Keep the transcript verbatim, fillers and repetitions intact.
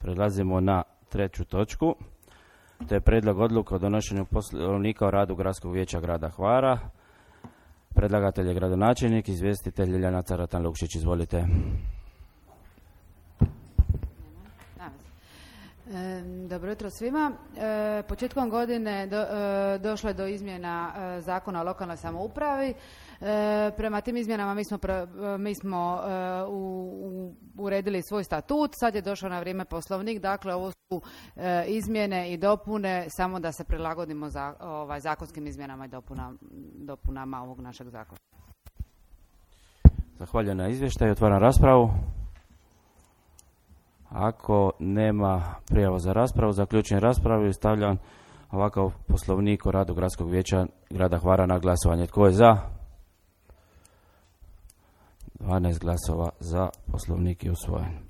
Prelazimo na treću točku. To je prijedlog odluke o donošenju poslovnika o radu Gradskog vijeća grada Hvara. Predlagatelj je gradonačelnik, izvjestitelj Ljiljana Caratan Lukšić. Izvolite. Dobro jutro svima. E, početkom godine do, e, došlo je do izmjena e, Zakona o lokalnoj samoupravi. E, prema tim izmjenama mi smo, pre, mi smo e, u, u, uredili svoj statut. Sad je došao na vrijeme poslovnik. Dakle, ovo su e, izmjene i dopune samo da se prilagodimo za, ovaj, zakonskim izmjenama i dopuna, dopunama ovog našeg zakona. Zahvaljujem na izvještaju. Otvaram raspravu. Ako nema prijava za raspravu, zaključujem raspravu i stavljam ovakav poslovnik o radu Gradskog vijeća grada Hvara na glasovanje. Tko je za? dvanaest glasova za, poslovnik je usvojen.